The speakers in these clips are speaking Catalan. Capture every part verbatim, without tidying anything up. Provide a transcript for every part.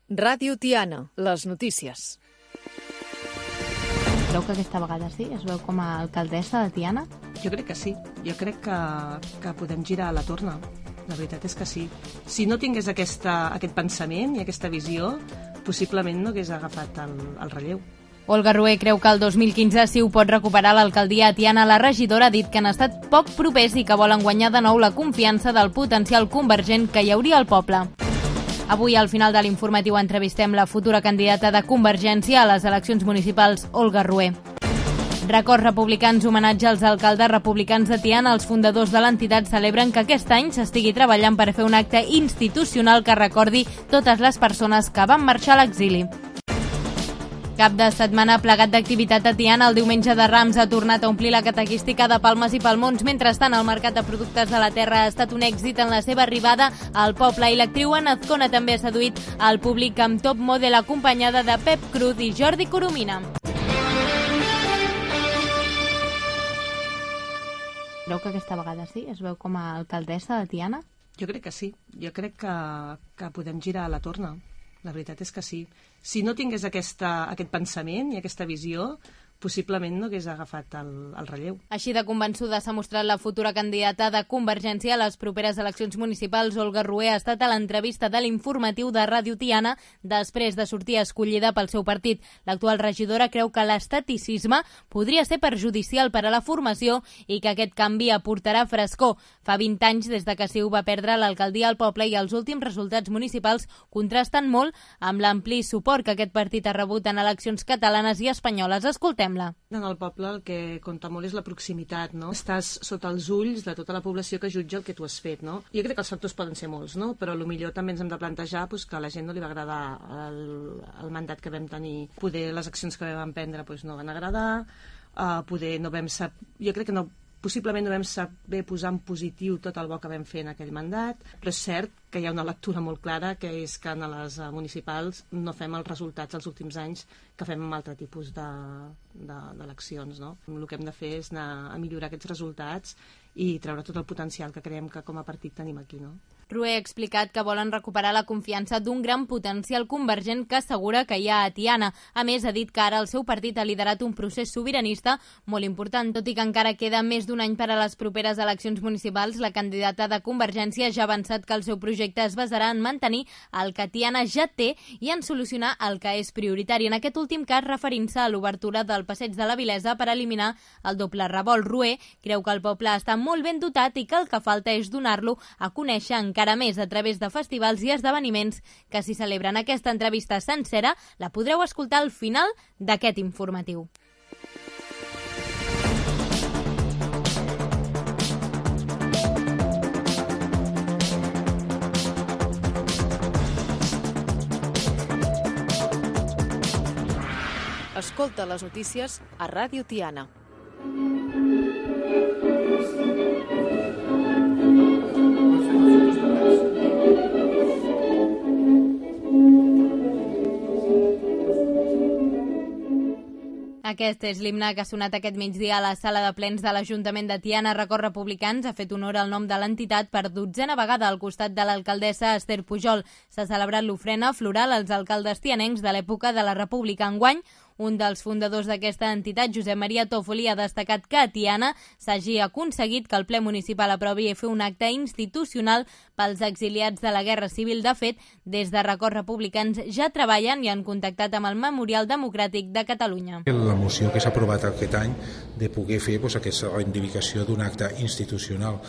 Ràdio Tiana, les notícies. Creu que aquesta vegada sí? Es veu com a alcaldessa de Tiana? Jo crec que sí. Jo crec que, que podem girar la torna. La veritat és que sí. Si no tingués aquesta, aquest pensament i aquesta visió, possiblement no hagués agafat el, el relleu. Olga Rué creu que el dos mil quinze sí ho pot recuperar l'alcaldia a Tiana. La regidora ha dit que han estat poc propers i que volen guanyar de nou la confiança del potencial convergent que hi hauria al poble. Avui, al final de l'informatiu, entrevistem la futura candidata de Convergència a les eleccions municipals, Olga Rué. Records republicans, homenatge als alcaldes republicans de Tiana. Els fundadors de l'entitat celebren que aquest any s'estigui treballant per fer un acte institucional que recordi totes les persones que van marxar a l'exili. Cap de setmana plegat d'activitat a Tiana. El diumenge de Rams ha tornat a omplir la catequística de palmes i palmons. Mentrestant, el mercat de productes de la terra ha estat un èxit en la seva arribada al poble i l'actriu Ana Azcona també ha seduït al públic amb Top Model acompanyada de Pep Cruz i Jordi Coromina. Creu que aquesta vegada sí? Es veu com a alcaldessa de Tiana? Jo crec que sí. Jo crec que, que podem girar la torna. La veritat és que sí. Si no tingués aquesta, aquest pensament i aquesta visió, possiblement no hagués agafat el, el relleu. Així de convençuda s'ha mostrat la futura candidata de Convergència a les properes eleccions municipals. Olga Rué ha estat a l'entrevista de l'informatiu de Ràdio Tiana després de sortir escollida pel seu partit. L'actual regidora creu que l'estaticisme podria ser perjudicial per a la formació i que aquest canvi aportarà frescor. Fa vint anys des de que Ciu va perdre l'alcaldia al poble i els últims resultats municipals contrasten molt amb l'ampli suport que aquest partit ha rebut en eleccions catalanes i espanyoles. Escoltem. En el poble el que compta molt és la proximitat, no? Estàs sota els ulls de tota la població que jutja el que tu has fet, no? Jo crec que els factors poden ser molts, no? Però potser també ens hem de plantejar pues, que a la gent no li va agradar el, el mandat que vam tenir. Poder les accions que vam prendre pues, no van agradar, uh, poder no vam sap... Jo crec que no possiblement no vam saber posar en positiu tot el bo que vam fer en aquell mandat, però és cert que hi ha una lectura molt clara, que és que en les municipals no fem els resultats els últims anys que fem amb altre tipus d'eleccions. No? El que hem de fer és anar a millorar aquests resultats i treure tot el potencial que creiem que com a partit tenim aquí. No? Rué ha explicat que volen recuperar la confiança d'un gran potencial convergent que assegura que hi ha a Tiana. A més, ha dit que ara el seu partit ha liderat un procés sobiranista molt important. Tot i que encara queda més d'un any per a les properes eleccions municipals, la candidata de Convergència ja ha avançat que el seu projecte es basarà en mantenir el que Tiana ja té i en solucionar el que és prioritari. En aquest últim cas, referint-se a l'obertura del Passeig de la Vilesa per eliminar el doble revolt. Rué creu que el poble està molt ben dotat i que el que falta és donar-lo a conèixer encara més a través de festivals i esdeveniments que s'hi celebren. Aquesta entrevista sencera la podreu escoltar al final d'aquest informatiu. Escolta les notícies a Ràdio Tiana. Aquest és l'himne que ha sonat aquest migdia a la sala de plens de l'Ajuntament de Tiana. Records Republicans ha fet honor al nom de l'entitat per dotzena vegada al costat de l'alcaldessa Esther Pujol. S'ha celebrat l'ofrena floral als alcaldes tianencs de l'època de la República. Enguany, un dels fundadors d'aquesta entitat, Josep Maria Tòfoli, ha destacat que a Tiana s'hagi aconseguit que el ple municipal aprovi i fer un acte institucional pels exiliats de la Guerra Civil. De fet, des de Records Republicans ja treballen i han contactat amb el Memorial Democràtic de Catalunya. La moció que s'ha aprovat aquest any de poder fer doncs, aquesta reivindicació d'un acte institucional,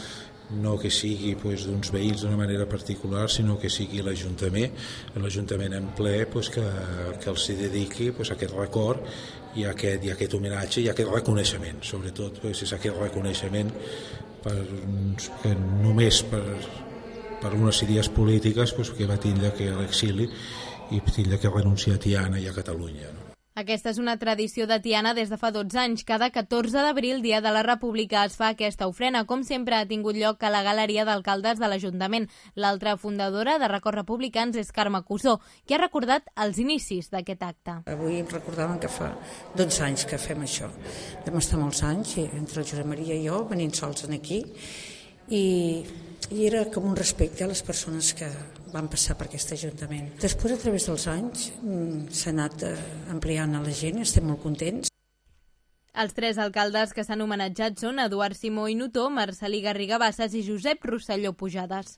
no que sigui doncs, d'uns veïns d'una manera particular, sinó que sigui l'Ajuntament, l'Ajuntament en ple doncs, que, que els dediqui doncs, aquest record i aquest, i aquest homenatge i aquest reconeixement. Sobretot doncs, és aquest reconeixement per, que només per, per unes idees polítiques doncs, que va tindre que l'exili i tindre que renunciar a Tiana i a Catalunya. No? Aquesta és una tradició de Tiana des de fa dotze anys. Cada catorze d'abril, dia de la República, es fa aquesta ofrena. Com sempre, ha tingut lloc a la galeria d'alcaldes de l'Ajuntament. L'altra fundadora de Records Republicans és Carme Cusó, que ha recordat els inicis d'aquest acte. Avui recordàvem que fa dotze anys que fem això. Vam estar molts anys, entre el Josep Maria i jo, venint sols aquí, i i era com un respecte a les persones que van passar per aquest Ajuntament. Després, a través dels anys, s'ha anat ampliant a la gent i estem molt contents. Els tres alcaldes que s'han homenatjat són Eduard Simó i Notó, Marcelí Garriga Bassas i Josep Rosselló Pujades.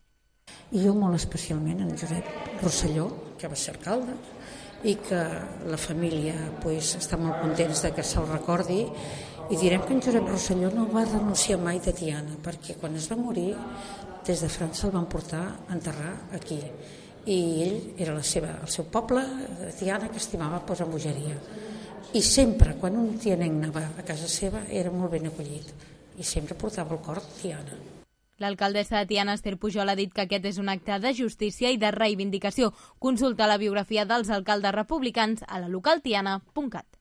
I jo molt especialment en Josep Rosselló, que va ser alcalde, i que la família pues, està molt contents de que se'l recordi, i direm que en Josep Rosselló no va renunciar mai de Tiana, perquè quan es va morir des de França el van portar a enterrar aquí, i ell era la seva, el seu poble, Tiana, que estimava pues, amb bogeria, i sempre quan un tianenc anava a casa seva era molt ben acollit i sempre portava el cor Tiana. L'alcaldessa de Tiana, Esther Pujol, ha dit que aquest és un acte de justícia i de reivindicació. Consulta la biografia dels alcaldes republicans a la localtiana punt cat.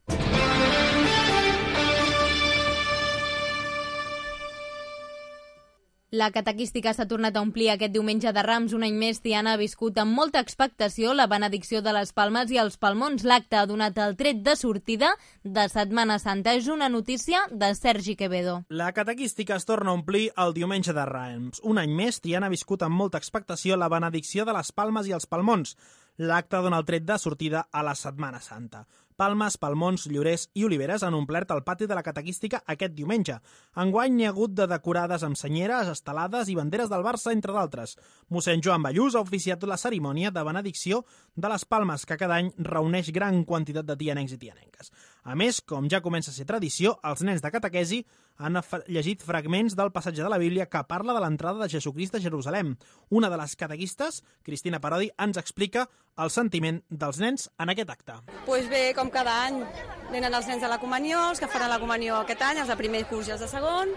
La catequística s'ha tornat a omplir aquest diumenge de Rams. Un any més, Tiana ha viscut amb molta expectació la benedicció de les palmes i els palmons. L'acte ha donat el tret de sortida de Setmana Santa. És una notícia de Sergi Quevedo. La catequística es torna a omplir el diumenge de Rams. Un any més, Tiana ha viscut amb molta expectació la benedicció de les palmes i els palmons. L'acte dona el tret de sortida a la Setmana Santa. Palmes, palmons, llorers i oliveres han omplert el pati de la catequística aquest diumenge. Enguany n'hi ha hagut de decorades amb senyeres, estelades i banderes del Barça, entre d'altres. Mossèn Joan Ballús ha oficiat la cerimònia de benedicció de les palmes, que cada any reuneix gran quantitat de tianencs i tianenques. A més, com ja comença a ser tradició, els nens de catequesi han llegit fragments del passatge de la Bíblia que parla de l'entrada de Jesucrist a Jerusalem. Una de les catequistes, Cristina Parodi, ens explica el sentiment dels nens en aquest acte. Pues bé, com cada any, venen els nens de la comunió, els que faran la comunió aquest any, els de primer curs i els de segon.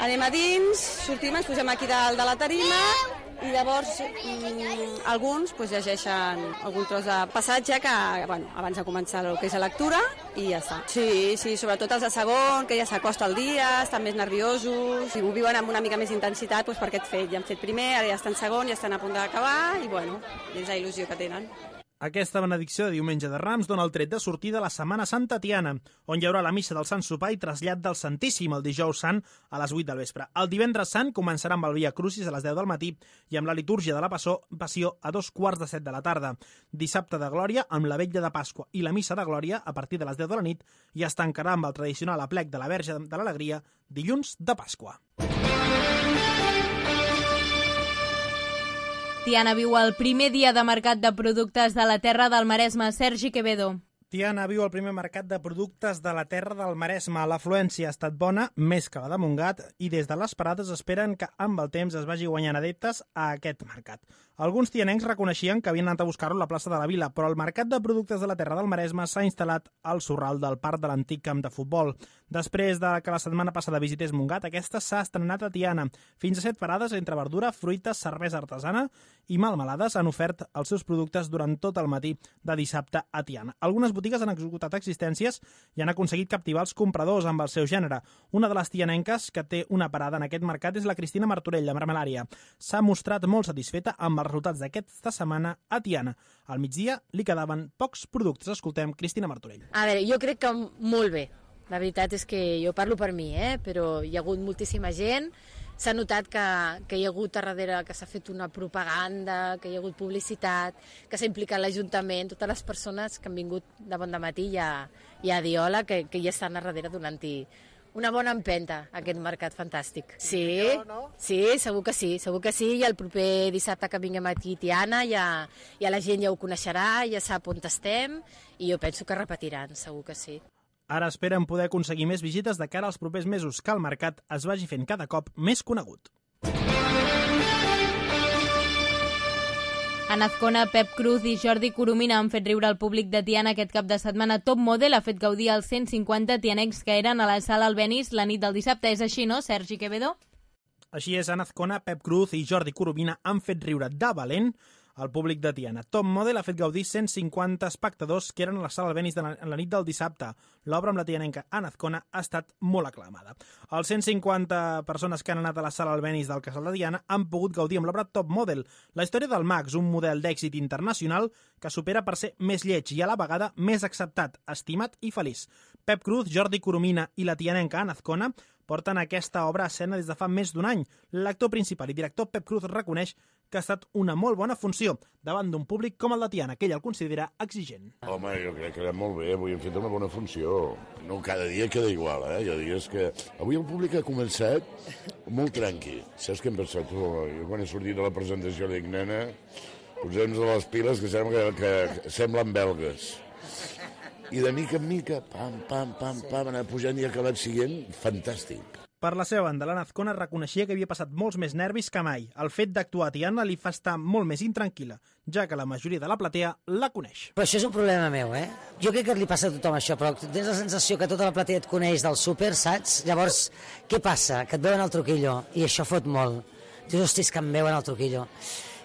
Anem a dins, sortim, ens posem aquí dalt de la tarima i llavors mmm, alguns pues, llegeixen algun tros de passatge que, bueno, abans de començar el que és la lectura i ja està. Sí, sí, sobretot els de segon, que ja s'acosta el dia, estan més nerviosos, i ho viuen amb una mica més intensitat pues, per aquest fet. Ja han fet primer, ara ja estan segon, ja estan a punt d'acabar i bueno, és la il·lusió que tenen. Aquesta benedicció de diumenge de Rams dona el tret de sortida a la Setmana Santa Tiana, on hi haurà la missa del Sant Sopar i trasllat del Santíssim el dijous sant a les vuit del vespre. El divendres sant començarà amb el Via Crucis a les deu del matí i amb la litúrgia de la Passió a dos quarts de set de la tarda. Dissabte de Glòria amb la Vetlla de Pasqua i la missa de Glòria a partir de les deu de la nit i es tancarà amb el tradicional aplec de la Verge de l'Alegria dilluns de Pasqua. Tiana viu el primer dia de mercat de productes de la terra del Maresme. Sergi Quevedo. Tiana viu el primer mercat de productes de la terra del Maresme. L'afluència ha estat bona, més que la de Montgat, i des de les parades esperen que amb el temps es vagi guanyant adeptes a aquest mercat. Alguns tianencs reconeixien que havien anat a buscar-lo a la plaça de la Vila, però el mercat de productes de la terra del Maresme s'ha instal·lat al sorral del parc de l'antic camp de futbol. Després de que la setmana passada visités Montgat, aquesta s'ha estrenat a Tiana. Fins a set parades entre verdura, fruites, cervesa artesana i melmelades han ofert els seus productes durant tot el matí de dissabte a Tiana. Algunes botigues han executat existències i han aconseguit captivar els compradors amb el seu gènere. Una de les tianenques que té una parada en aquest mercat és la Cristina Martorell, de Marmelària. S'ha mostrat molt satisfeta amb els resultats d'aquesta setmana a Tiana. Al migdia li quedaven pocs productes. Escoltem Cristina Martorell. A veure, jo crec que molt bé. La veritat és que jo parlo per mi, eh? Però hi ha hagut moltíssima gent. S'ha notat que, que hi ha hagut a darrere, que s'ha fet una propaganda, que hi ha hagut publicitat, que s'ha implicat l'Ajuntament, totes les persones que han vingut de bon dematí i a, i a dir hola, que, que ja estan a darrere donant-hi una bona empenta a aquest mercat fantàstic. Sí, sí, segur que sí, segur que sí, i el proper dissabte que vinguem aquí a Tiana ja, ja la gent ja ho coneixerà, ja sap on estem, i jo penso que repetiran, segur que sí. Ara esperen poder aconseguir més visites de cara als propers mesos, que el mercat es vagi fent cada cop més conegut. En Azcona, Pep Cruz i Jordi Coromina han fet riure al públic de Tiana aquest cap de setmana. Top Model ha fet gaudir els cent cinquanta tianecs que eren a la sala Albéniz la nit del dissabte. És així, no, Sergi Quevedo? Així és, en Azcona, Pep Cruz i Jordi Coromina han fet riure de valent al públic de Tiana. Top Model ha fet gaudir cent cinquanta espectadors que eren a la sala Albéniz de la, en la nit del dissabte. L'obra amb la tianenca en Azcona ha estat molt aclamada. Els cent cinquanta persones que han anat a la sala Albéniz del Casal de Tiana han pogut gaudir amb l'obra Top Model, la història del Max, un model d'èxit internacional que supera per ser més lleig i a la vegada més acceptat, estimat i feliç. Pep Cruz, Jordi Coromina i la tianenca Ana Azcona porten aquesta obra a escena des de fa més d'un any. L'actor principal i director Pep Cruz reconeix que ha estat una molt bona funció davant d'un públic com el de Tiana, que ell el considera exigent. Home, jo crec que era molt bé, avui hem fet una bona funció. No cada dia queda igual, eh? Hi ha dies que... Avui el públic ha començat molt tranqui. Saps què hem pensat? Tu, jo quan he sortit de la presentació dic, nena, posem-nos a les piles que sembla que, que semblen belgues. I de mica en mica, pam, pam, pam, pam, anar pujant i ha acabat siguent fantàstic. Per la seva banda, l'Ana Azcona reconeixia que havia passat molts més nervis que mai. El fet d'actuar a Tiana li fa estar molt més intranquil·la, ja que la majoria de la platea la coneix. Però això és un problema meu, eh? Jo crec que li passa a tothom això, però tens la sensació que tota la platea et coneix del súper, saps? Llavors, què passa? Que et veuen al truquillo, i això fot molt. Dius, hostis, que em veuen al truquillo.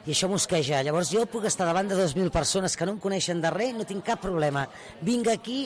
I això mosqueja. Llavors jo puc estar davant de dos mil persones que no em coneixen de res, no tinc cap problema. Vinc aquí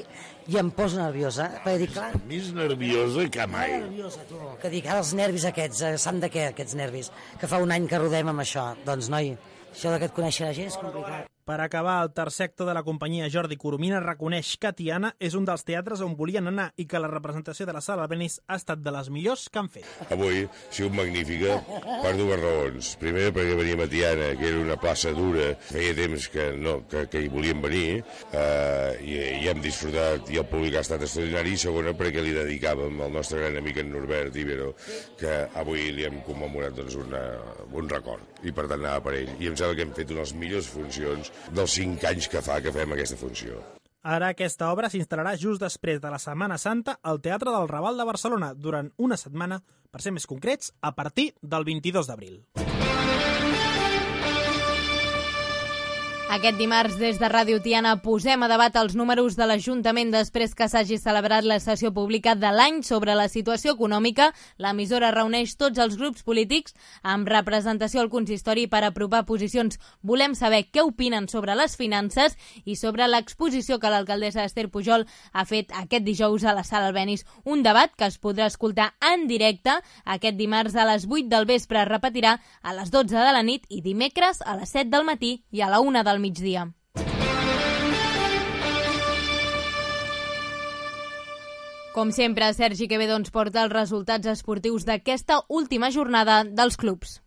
i em poso nerviosa. Perquè dic, clar... Més nerviosa que mai. Nerviosa, tu. Que dic, ara els nervis aquests, eh, s'han de què, aquests nervis? Que fa un any que rodem amb això. Doncs, noi, això que et coneixi la gent és complicat. Per acabar, el tercer actor de la companyia, Jordi Coromina, reconeix que Tiana és un dels teatres on volien anar i que la representació de la Sala Albéniz ha estat de les millors que han fet. Avui ha sigut magnífica per dues raons. Primer, perquè veníem a Tiana, que era una plaça dura, feia temps que, no, que, que hi volíem venir, eh, i, i hem disfrutat, i el públic ha estat extraordinari, i segona, perquè li dedicàvem al nostre gran amic en Norbert Ibero, que avui li hem commemorat doncs, una, un record, i per tant anava per ell. I em sembla que hem fet unes millors funcions dels cinc anys que fa que fem aquesta funció. Ara aquesta obra s'instal·larà just després de la Setmana Santa al Teatre del Raval de Barcelona durant una setmana, per ser més concrets, a partir del vint-i-dos d'abril. Aquest dimarts, des de Ràdio Tiana, posem a debat els números de l'Ajuntament després que s'hagi celebrat la sessió pública de l'any sobre la situació econòmica. L'emissora reuneix tots els grups polítics amb representació al consistori per apropar posicions. Volem saber què opinen sobre les finances i sobre l'exposició que l'alcaldessa Esther Pujol ha fet aquest dijous a la Sala Albéniz. Un debat que es podrà escoltar en directe aquest dimarts a les vuit del vespre. Es repetirà a les dotze de la nit i dimecres a les set del matí i a la una del migdia. Com sempre, Sergi Quevedo ens porta els resultats esportius d'aquesta última jornada dels clubs.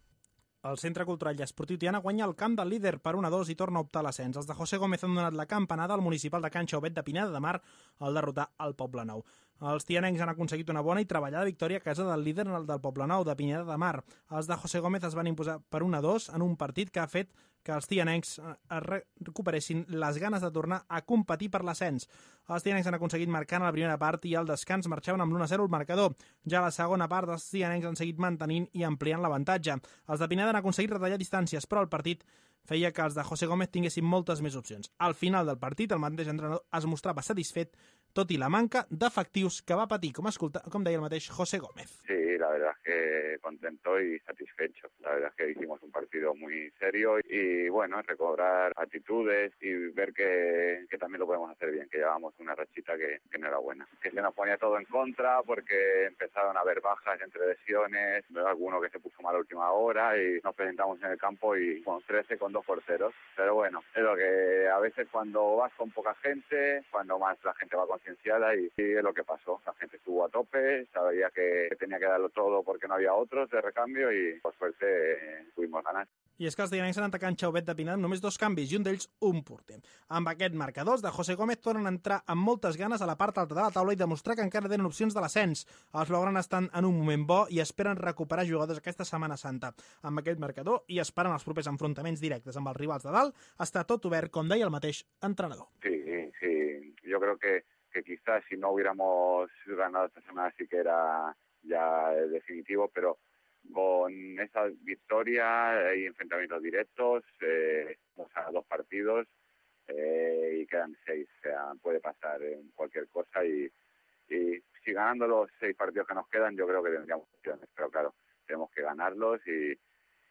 El Centre Cultural i Esportiu Tiana guanya el camp del líder per un a dos i torna a optar a l'ascens. Els de José Gómez han donat la campanada al municipal de Can Xauvet de Pineda de Mar al derrotar el Poblenou. Els tianencs han aconseguit una bona i treballada victòria a casa del líder del Poblenou de Pineda de Mar. Els de José Gómez es van imposar per un a dos en un partit que ha fet que els tianencs recuperessin les ganes de tornar a competir per l'ascens. Els tianencs han aconseguit marcar a la primera part i al descans marxaven amb l'u a zero el marcador. Ja a la segona part els tianencs han seguit mantenint i ampliant l'avantatge. Els de Pineda han aconseguit retallar distàncies, però el partit feia que els de José Gómez tinguessin moltes més opcions. Al final del partit, el mateix entrenador es mostrava satisfet, tot i la manca d'efectius que va patir, com, escolta, com deia el mateix José Gómez. Sí, la verdad es que contento y satisfecho. La verdad es que hicimos un partido muy serio y, bueno, recobrar actitudes y ver que, que también lo podemos hacer bien, que llevamos una rachita que, que no era buena. Que se nos ponía todo en contra porque empezaron a haber bajas entre lesiones, alguno que se puso mal a última hora y nos presentamos en el campo y con trece, con dos porteros. Pero bueno, es lo que a veces cuando vas con poca gente, cuando más la gente va concienciada y, y es lo que pasó. La gente estuvo a tope, sabía que tenía que darlo todo porque no había otros de recambio y por suerte eh, pudimos ganar. I és que els tianencs han atacat Xauvet de Pineda només dos canvis i un d'ells un porter. Amb aquest marcador, els de José Gómez tornen a entrar amb moltes ganes a la part alta de la taula i demostrar que encara tenen opcions de l'ascens. Els blaugrana estan en un moment bo i esperen recuperar jugadors aquesta Setmana Santa. Amb aquest marcador i esperant els propers enfrontaments directes amb els rivals de dalt, està tot obert, com deia el mateix entrenador. Sí, sí, yo creo que, que quizás si no hubiéramos ganado esta semana sí que era ya definitivo, pero con esa victoria y enfrentamientos directos, eh, o sea, dos partidos eh, y quedan seis. O sea, puede pasar en cualquier cosa y, y si ganando los seis partidos que nos quedan, yo creo que tendríamos opciones. Pero claro, tenemos que ganarlos y,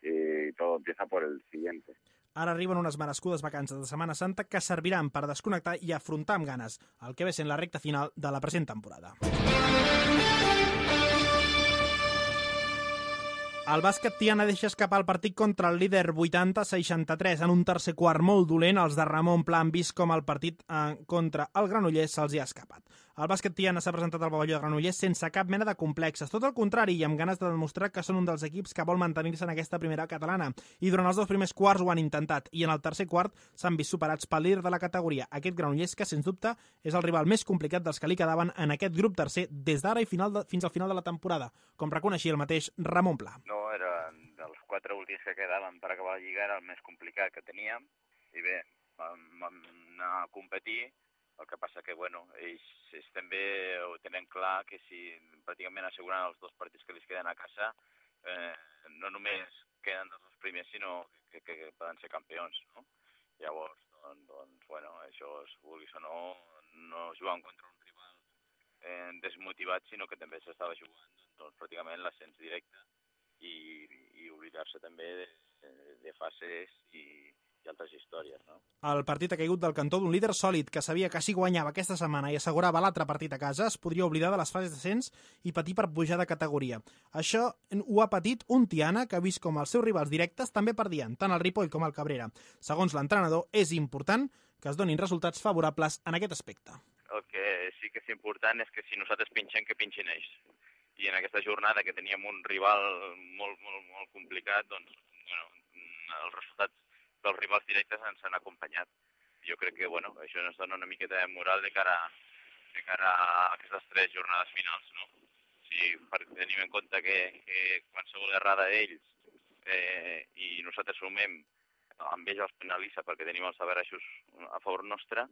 y todo empieza por el siguiente. Ara arriben unes merescudes vacances de Setmana Santa que serviran per desconnectar i afrontar amb ganes el que ve sent la recta final de la present temporada. El bàsquet Tiana deixa escapar el partit contra el líder vuitanta a seixanta-tres. En un tercer quart molt dolent, els de Ramon Pla han vist com el partit eh, contra el Granollers se'ls hi ha escapat. El bàsquet Tiana s'ha presentat al pavelló de Granollers sense cap mena de complexes, tot el contrari, i amb ganes de demostrar que són un dels equips que vol mantenir-se en aquesta primera catalana. I durant els dos primers quarts ho han intentat, i en el tercer quart s'han vist superats pel líder de la categoria, aquest Granollers, que sens dubte és el rival més complicat dels que li quedaven en aquest grup tercer des d'ara i final de, fins al final de la temporada, com reconeixia el mateix Ramon Pla. No, era dels quatre últims que quedaven per acabar la Lliga, era el més complicat que teníem, i bé, vam, vam anar a competir. El que passa que, bueno, ells, ells també ho tenen clar que si pràcticament asseguren els dos partits que els queden a casa, eh, no només queden dels dos primers, sinó que, que, que poden ser campions, no? Llavors, doncs, doncs bueno, això, vulguis o no, no juguen contra un rival eh, desmotivat, sinó que també s'estava jugant doncs, pràcticament l'ascens directe i, i oblidar-se també de, de fases i i altres històries, no? El partit ha caigut del cantó d'un líder sòlid que sabia que si guanyava aquesta setmana i assegurava l'altre partit a casa es podria oblidar de les fases d'ascens i patir per pujar de categoria. Això ho ha patit un Tiana que ha vist com els seus rivals directes també perdien, tant el Ripoll com el Cabrera. Segons l'entrenador, és important que es donin resultats favorables en aquest aspecte. El que sí que és important és que si nosaltres pinxem, que pinxin ells. I en aquesta jornada que teníem un rival molt, molt, molt complicat, doncs, bueno, els resultats dels rivals directes ens han acompanyat. Jo crec que, bueno, això ens dona una miqueta de moral de cara, de cara a aquestes tres jornades finals, no? Si tenim en compte que, que qualsevol errada d'ells eh, i nosaltres sumem, amb ells els penalitza perquè tenim els averajos a favor nostre,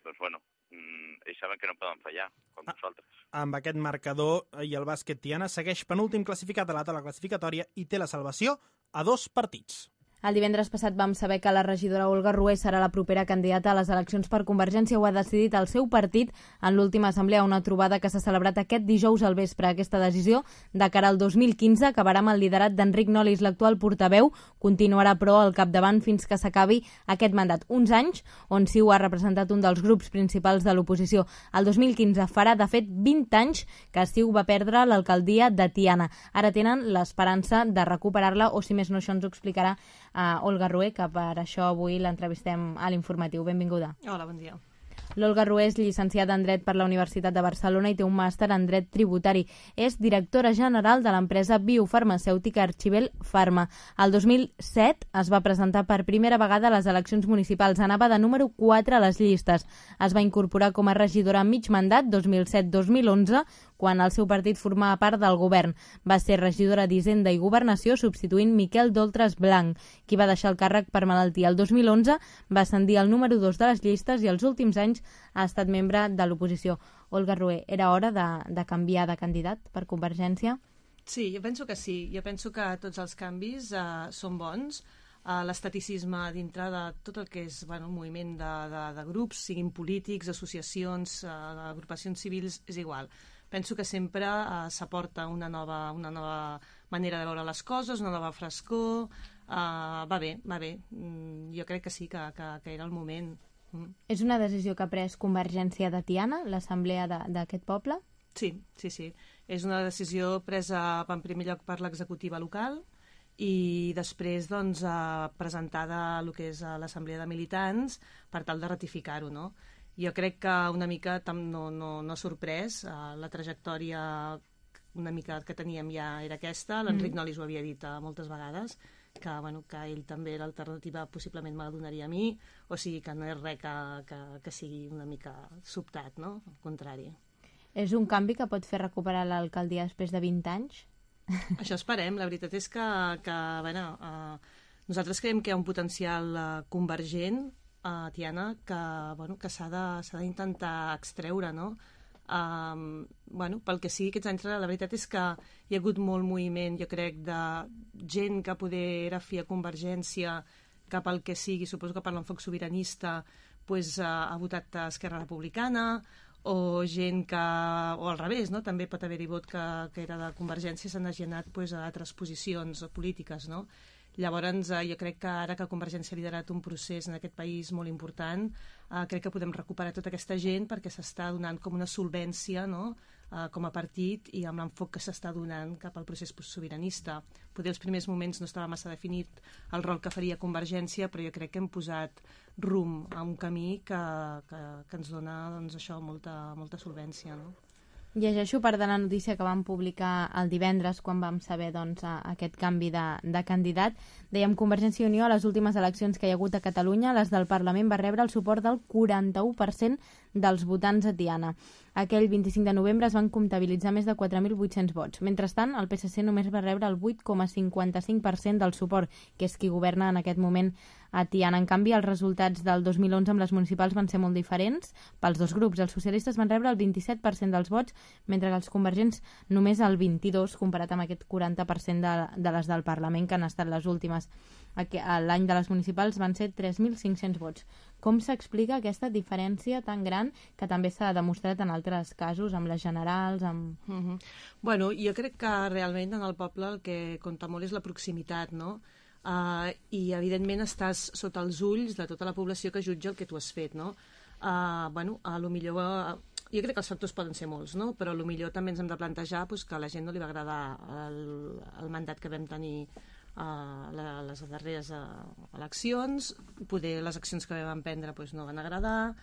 doncs, bueno, ells saben que no poden fallar, com nosaltres. Amb aquest marcador i el bàsquet Tiana segueix penúltim classificat a la taula classificatòria i té la salvació a dos partits. El divendres passat vam saber que la regidora Olga Rué serà la propera candidata a les eleccions per Convergència. Ho ha decidit el seu partit en l'última assemblea, una trobada que s'ha celebrat aquest dijous al vespre. Aquesta decisió, de cara al dos mil quinze, acabarà amb el liderat d'Enric Nolis, l'actual portaveu. Continuarà, però, al capdavant fins que s'acabi aquest mandat. Uns anys on Ciu ha representat un dels grups principals de l'oposició. El dos mil quinze farà, de fet, vint anys que Ciu va perdre l'alcaldia de Tiana. Ara tenen l'esperança de recuperar-la, o si més no, això ens ho explicarà a Olga Rué, que per això avui l'entrevistem a l'Informatiu. Benvinguda. Hola, bon dia. L'Olga Rué és llicenciada en Dret per la Universitat de Barcelona i té un màster en Dret Tributari. És directora general de l'empresa biofarmacèutica Archibel Pharma. El dos mil set es va presentar per primera vegada a les eleccions municipals. Anava de número quatre a les llistes. Es va incorporar com a regidora a mig mandat, dos mil set dos mil onze, quan el seu partit formava part del govern. Va ser regidora d'Hisenda i Governació, substituint Miquel Doltres Blanc, qui va deixar el càrrec per malaltia. El dos mil onze va ascendir al número dos de les llistes i els últims anys ha estat membre de l'oposició. Olga Rué, era hora de, de canviar de candidat per Convergència? Sí, jo penso que sí. Jo penso que tots els canvis uh, són bons. Uh, l'estaticisme dintre de tot el que és bueno, un moviment de, de, de grups, siguin polítics, associacions, uh, agrupacions civils, és igual. Penso que sempre uh, s'aporta una nova, una nova manera de veure les coses, una nova frescor. Uh, va bé, va bé. Mm, jo crec que sí, que, que, que era el moment. Mm. És una decisió que ha pres Convergència de Tiana, l'assemblea d'aquest poble? Sí, sí, sí. És una decisió presa en primer lloc per l'executiva local i després doncs, eh, presentada a el que és a l'assemblea de militants per tal de ratificar-ho, no? Jo crec que una mica no, no, no ha sorprès, eh, la trajectòria una mica que teníem ja era aquesta, l'Enric mm. Nolis ho havia dit eh, moltes vegades, que, bueno, que ell també l'alternativa possiblement me la donaria a mi, o sigui que no és res que, que, que sigui una mica sobtat, no? Al contrari. És un canvi que pot fer recuperar l'alcaldia després de vint anys? Això esperem. La veritat és que, que bueno, eh, nosaltres creiem que hi ha un potencial eh, convergent a Tiana que, bueno, que s'ha d'intentar extreure, no? Um, bueno, pel que sigui aquests anys, la veritat és que hi ha hagut molt moviment, jo crec, de gent que poder era fi a Convergència cap al que sigui, suposo que per l'enfoc sobiranista pues, uh, ha votat a Esquerra Republicana, o gent que, o al revés, no? També pot haver-hi vot que, que era de Convergència, s'han agenat pues, a altres posicions polítiques, no? Llavors, eh, jo crec que ara que Convergència ha liderat un procés en aquest país molt important, eh, crec que podem recuperar tota aquesta gent perquè s'està donant com una solvència, no?, uh, com a partit i amb l'enfoc que s'està donant cap al procés sobiranista. Potser els primers moments no estava massa definit el rol que faria Convergència, però jo crec que hem posat rumb a un camí que, que, que ens dona doncs, això, molta, molta solvència, no? Llegeixo part de la notícia que vam publicar el divendres quan vam saber doncs, aquest canvi de, de candidat. Dèiem, Convergència i Unió a les últimes eleccions que hi ha hagut a Catalunya, les del Parlament, va rebre el suport del quaranta-u per cent dels votants a Tiana. Aquell vint-i-cinc de novembre es van comptabilitzar més de quatre mil vuit-cents vots. Mentrestant, el P S C només va rebre el vuit coma cinquanta-cinc per cent del suport, que és qui governa en aquest moment a Tiana. En canvi, els resultats del dos mil onze amb les municipals van ser molt diferents pels dos grups. Els socialistes van rebre el vint-i-set per cent dels vots, mentre que els convergents només el vint-i-dos per cent, comparat amb aquest quaranta per cent de, de les del Parlament, que han estat les últimes. L'any de les municipals van ser tres mil cinc-cents vots. Com s'explica aquesta diferència tan gran que també s'ha demostrat en altres casos, amb les generals? Amb... Mm-hmm. Bueno, jo crec que realment en el poble el que compta molt és la proximitat, no? Uh, I evidentment estàs sota els ulls de tota la població que jutja el que tu has fet, no? Uh, bueno, a lo millor... Uh, jo crec que els factors poden ser molts, no? Però a lo millor també ens hem de plantejar pues, que a la gent no li va agradar el, el mandat que vam tenir a uh, les darreres uh, eleccions, poder les accions que vam prendre pues, no van agradar,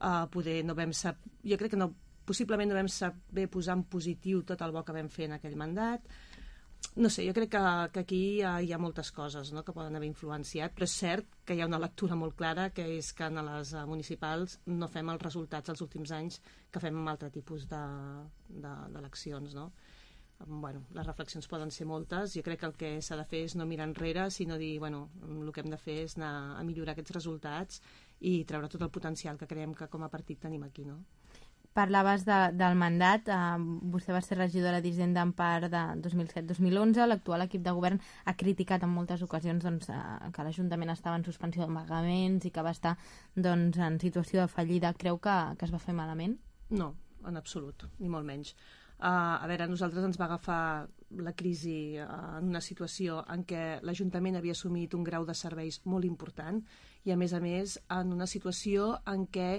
uh, poder no vam sap... jo crec que no, possiblement no vam saber posar en positiu tot el bo que vam fer en aquell mandat. No sé, jo crec que, que aquí hi ha, hi ha moltes coses, no?, que poden haver influenciat, però és cert que hi ha una lectura molt clara, que és que en les uh, municipals no fem els resultats els últims anys que fem amb altre tipus d'eleccions, no? Bueno, les reflexions poden ser moltes. Jo crec que el que s'ha de fer és no mirar enrere, sinó dir, bueno, el que hem de fer és anar a millorar aquests resultats i treure tot el potencial que creiem que com a partit tenim aquí, no? Parlaves de, del mandat, eh, vostè va ser regidora d'Hisenda en part de dos mil set dos mil onze, l'actual equip de govern ha criticat en moltes ocasions doncs, eh, que l'Ajuntament estava en suspensió de pagaments i que va estar doncs, en situació de fallida. Creu que, que es va fer malament? No, en absolut, ni molt menys. Uh, a veure, a nosaltres ens va agafar la crisi uh, en una situació en què l'Ajuntament havia assumit un grau de serveis molt important i, a més a més, en una situació en què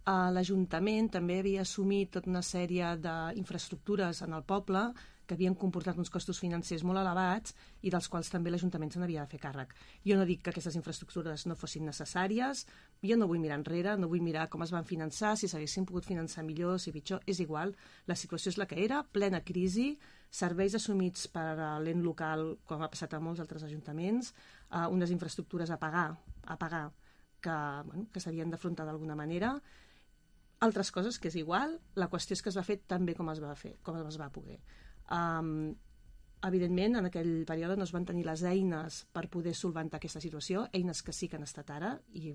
Uh, l'Ajuntament també havia assumit tota una sèrie d'infraestructures en el poble que havien comportat uns costos financers molt elevats i dels quals també l'Ajuntament se n'havia de fer càrrec. Jo no dic que aquestes infraestructures no fossin necessàries, jo no vull mirar enrere, no vull mirar com es van finançar, si s'haguessin pogut finançar millor, si pitjor, és igual. La situació és la que era, plena crisi, serveis assumits per l'ent local, com ha passat a molts altres ajuntaments, uh, unes infraestructures a pagar, a pagar que, bueno, que s'havien d'afrontar d'alguna manera, altres coses que és igual, la qüestió és que es va fer tan bé com es va fer, com es va poder. Um, evidentment, en aquell període no es van tenir les eines per poder solventar aquesta situació, eines que sí que han estat ara i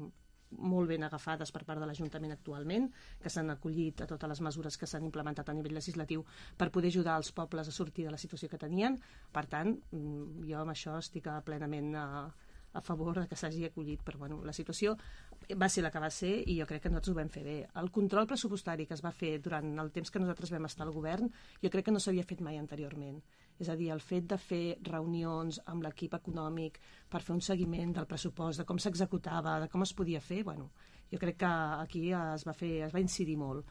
molt ben agafades per part de l'Ajuntament actualment, que s'han acollit a totes les mesures que s'han implementat a nivell legislatiu per poder ajudar els pobles a sortir de la situació que tenien. Per tant, jo amb això estic plenament a, a favor de que s'hagi acollit, però bueno, la situació va ser la que va ser i jo crec que nosaltres ho vam fer bé. El control pressupostari que es va fer durant el temps que nosaltres vam estar al govern jo crec que no s'havia fet mai anteriorment. És a dir, el fet de fer reunions amb l'equip econòmic per fer un seguiment del pressupost, de com s'executava, de com es podia fer, bueno, jo crec que aquí es va fer, es va incidir molt.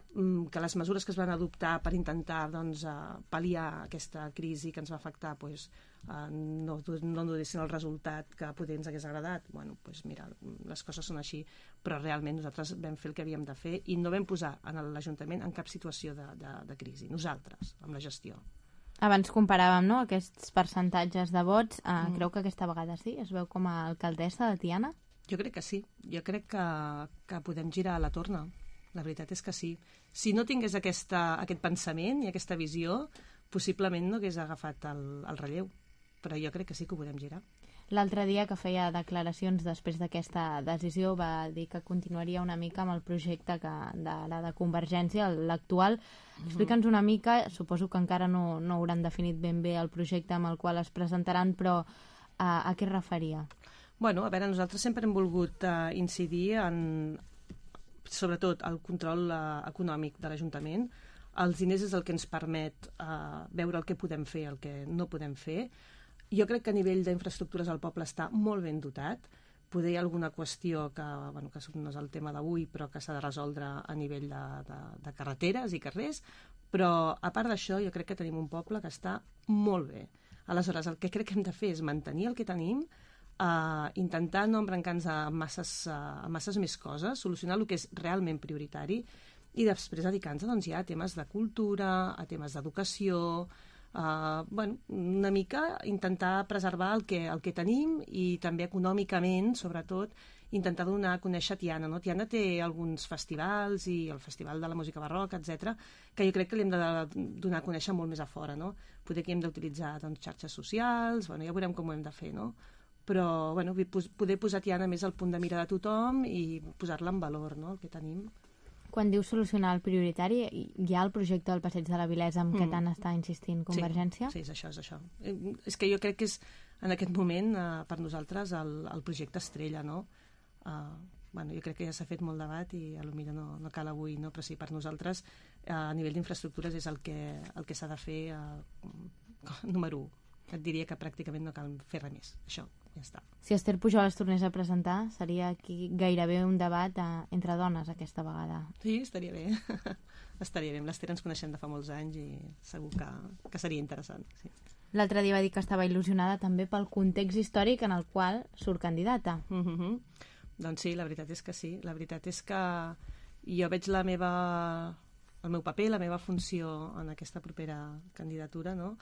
Que les mesures que es van adoptar per intentar doncs, pal·liar aquesta crisi que ens va afectar pues, no, no donessin el resultat que poder ens hagués agradat. Bueno, pues mira, les coses són així, però realment nosaltres vam fer el que havíem de fer i no vam posar en l'Ajuntament en cap situació de, de, de crisi, nosaltres, amb la gestió. Abans comparàvem no, aquests percentatges de vots. Eh, mm. Creu que aquesta vegada sí? Es veu com a alcaldessa de Tiana? Jo crec que sí. Jo crec que, que podem girar la torna. La veritat és que sí. Si no tingués aquesta, aquest pensament i aquesta visió, possiblement no hagués agafat el, el relleu. Però jo crec que sí que ho podem girar. L'altre dia que feia declaracions després d'aquesta decisió va dir que continuaria una mica amb el projecte que de, de, de Convergència, l'actual. Explica'ns una mica, suposo que encara no, no hauran definit ben bé el projecte amb el qual es presentaran, però a, a què es referia? Bueno, a veure, nosaltres sempre hem volgut uh, incidir en sobretot el control uh, econòmic de l'Ajuntament. Els diners és el que ens permet uh, veure el que podem fer, el que no podem fer. Jo crec que a nivell d'infraestructures el poble està molt ben dotat, poder hi ha alguna qüestió que, bueno, que no és el tema d'avui, però que s'ha de resoldre a nivell de, de, de carreteres i carrers, però a part d'això jo crec que tenim un poble que està molt bé. Aleshores, el que crec que hem de fer és mantenir el que tenim, uh, intentar no embrancar-nos a masses, uh, a masses més coses, solucionar el que és realment prioritari i després dedicar-nos doncs, ja a temes de cultura, a temes d'educació, uh, bueno, una mica intentar preservar el que, el que tenim i també econòmicament, sobretot, intentar donar a conèixer Tiana. No? Tiana té alguns festivals i el Festival de la Música Barroca, etcètera, que jo crec que l'hem de donar a conèixer molt més a fora. No? Poder que hem d'utilitzar doncs, xarxes socials, bueno, ja veurem com ho hem de fer, no? Però bueno, poder posar Tiana més al punt de mira de tothom i posar-la en valor, no? El que tenim. Quan dius solucionar el prioritari, hi ha el projecte del Passeig de la Vilesa amb mm. què tant està insistint Convergència? Sí, sí, és això, és això. És que jo crec que és, en aquest moment, eh, per nosaltres, el, el projecte estrella, no? Uh, bueno, jo crec que ja s'ha fet molt debat i potser no, no cal avui, no? Però sí, per nosaltres, uh, a nivell d'infraestructures és el que, el que s'ha de fer uh, número u. Et diria que pràcticament no cal fer res més. Això, ja està. Si Esther Pujol es tornés a presentar, seria aquí gairebé un debat uh, entre dones aquesta vegada. Sí, estaria bé. Estaria bé. Amb l'Esther ens coneixem de fa molts anys i segur que, que seria interessant. Sí. L'altre dia va dir que estava il·lusionada també pel context històric en el qual surt candidata. Mm-hmm. Doncs sí, la veritat és que sí. La veritat és que jo veig la meva, el meu paper, la meva funció en aquesta propera candidatura, no?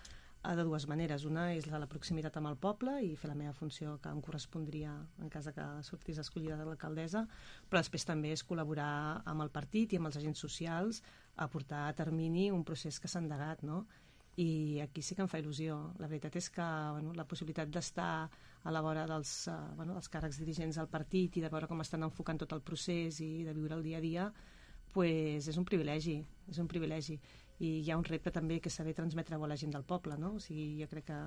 De dues maneres. Una és la, la proximitat amb el poble i fer la meva funció que em correspondria en cas que sortís escollida de l'alcaldessa, però després també és col·laborar amb el partit i amb els agents socials a portar a termini un procés que s'ha endegat, no? I aquí sí que em fa il·lusió. La veritat és que bueno, la possibilitat d'estar a la vora dels, uh, bueno, dels càrrecs dirigents del partit i de veure com estan enfocant tot el procés i de viure el dia a dia, pues és un privilegi, és un privilegi. I hi ha un repte també que saber transmetre-ho a la gent del poble, no? O sigui, jo crec que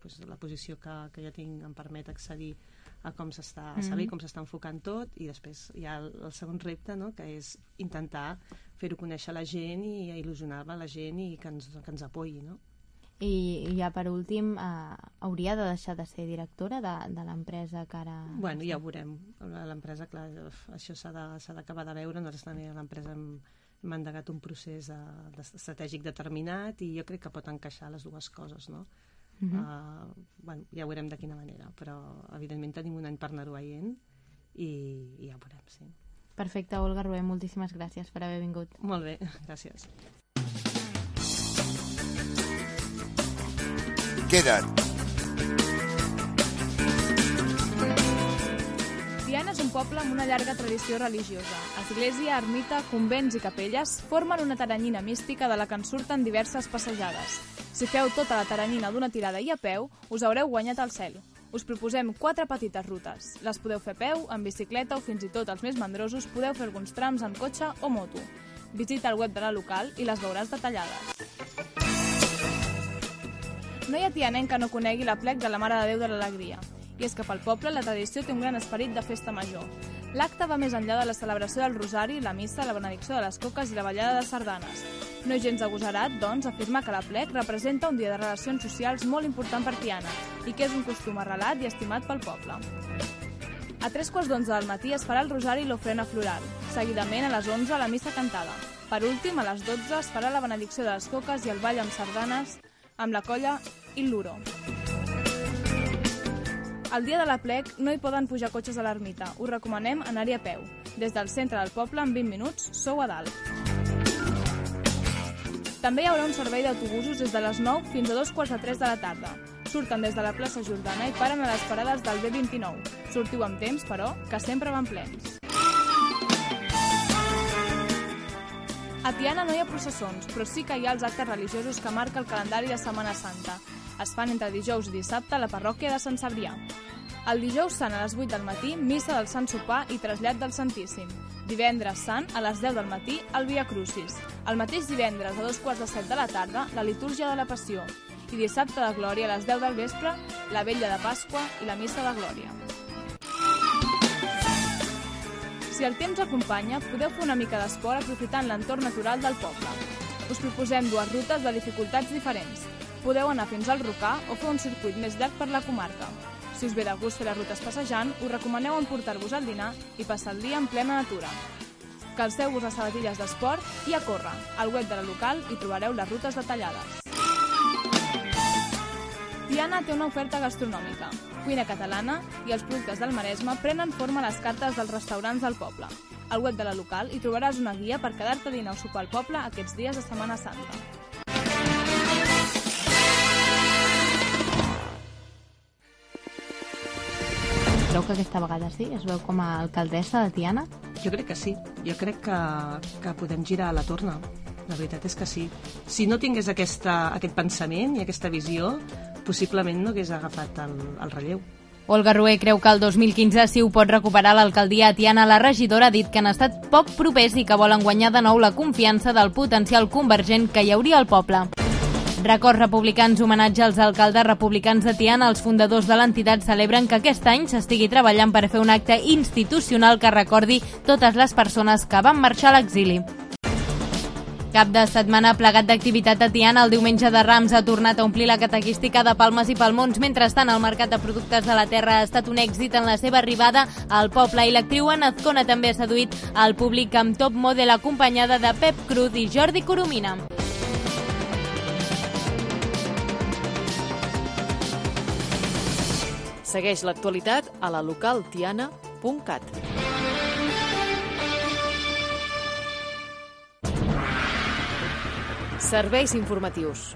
pues, la posició que, que jo tinc em permet accedir a com s'està, a saber com s'està enfocant tot, i després hi ha el, el segon repte, no? Que és intentar fer-ho conèixer a la gent i il·lusionar-la a la gent i que ens, que ens apoyi, no? I ja per últim, eh, hauria de deixar de ser directora de, de l'empresa que ara... Bueno, ja ho veurem. L'empresa, clar, això s'ha d'acabar de, de veure. Nosaltres també a l'empresa hem, hem endegat un procés de, de estratègic determinat i jo crec que pot encaixar les dues coses, no? Uh-huh. uh, bueno, ja ho veurem de quina manera, però evidentment tenim un any per anar-ho veient i, i ja ho veurem, sí. Perfecte, Olga Rué, moltíssimes gràcies per haver vingut. Molt bé, gràcies. Queda't. Tiana és un poble amb una llarga tradició religiosa. Església, ermita, convents i capelles formen una taranyina mística de la que en surten diverses passejades. Si feu tota la taranyina d'una tirada i a peu, us haureu guanyat el cel. Us proposem quatre petites rutes. Les podeu fer a peu, en bicicleta o fins i tot els més mandrosos podeu fer alguns trams en cotxe o moto. Visita el web de la local i les veuràs detallades. No hi ha tianenc que no conegui l'aplec de la Mare de Déu de l'Alegria. I és que pel poble la tradició té un gran esperit de festa major. L'acte va més enllà de la celebració del rosari, la missa, la benedicció de les coques i la ballada de sardanes. No és gens agosarat, doncs, afirmar que l'aplec representa un dia de relacions socials molt important per Tiana i que és un costum arrelat i estimat pel poble. A tres quarts d'onze del matí es farà el rosari i l'ofrena floral. Seguidament, a les onze, la missa cantada. Per últim, a les dotze, es farà la benedicció de les coques i el ball amb sardanes amb la colla i l'uro. El dia de l'aplec no hi poden pujar cotxes a l'ermita. Us recomanem anar-hi a peu. Des del centre del poble, en vint minuts, sou a dalt. També hi haurà un servei d'autobusos des de les nou fins a dos quarts de tres de la tarda. Surten des de la plaça Jordana i paren a les parades del B vint-i-nou. Sortiu amb temps, però, que sempre van plens. A Tiana no hi ha processons, però sí que hi ha els actes religiosos que marca el calendari de Setmana Santa. Es fan entre dijous i dissabte a la parròquia de Sant Cebrià. El dijous sant a les vuit del matí, missa del Sant Sopar i trasllat del Santíssim. Divendres sant, a les deu del matí, el Via Crucis. El mateix divendres, a dos quarts de set de la tarda, la litúrgia de la Passió. I dissabte de Glòria, a les deu del vespre, la vetlla de Pasqua i la missa de Glòria. Si el temps acompanya, podeu fer una mica d'esport aprofitant l'entorn natural del poble. Us proposem dues rutes de dificultats diferents. Podeu anar fins al Rocà o fer un circuit més llarg per la comarca. Si us ve de gust fer les rutes passejant, us recomaneu emportar-vos al dinar i passar el dia en plena natura. Calceu-vos les sabatilles d'esport i a córrer. Al web de la local hi trobareu les rutes detallades. Tiana té una oferta gastronòmica. Cuina catalana i els productes del Maresme prenen forma a les cartes dels restaurants del poble. Al web de la local hi trobaràs una guia per quedar-te a dinar o sopar al poble aquests dies de Setmana Santa. Creu que aquesta vegada sí? Es veu com a alcaldessa de Tiana? Jo crec que sí. Jo crec que, que podem girar la torna. La veritat és que sí. Si no tingués aquesta, aquest pensament i aquesta visió, possiblement no hagués agafat el, el relleu. Olga Rué creu que el dos mil quinze sí ho pot recuperar l'alcaldia a Tiana. La regidora ha dit que han estat poc propers i que volen guanyar de nou la confiança del potencial convergent que hi hauria al poble. Records republicans, homenatge als alcaldes republicans de Tiana. Els fundadors de l'entitat celebren que aquest any s'estigui treballant per fer un acte institucional que recordi totes les persones que van marxar a l'exili. Cap de setmana plegat d'activitat a Tiana. El diumenge de Rams ha tornat a omplir la catequística de palmes i palmons. Mentrestant, el mercat de productes de la terra ha estat un èxit en la seva arribada al poble i l'actriu Ana Azcona també ha seduït al públic amb Top Model acompanyada de Pep Cruz i Jordi Coromina. Segueix l'actualitat a la local tiana punt cat. Serveis informatius.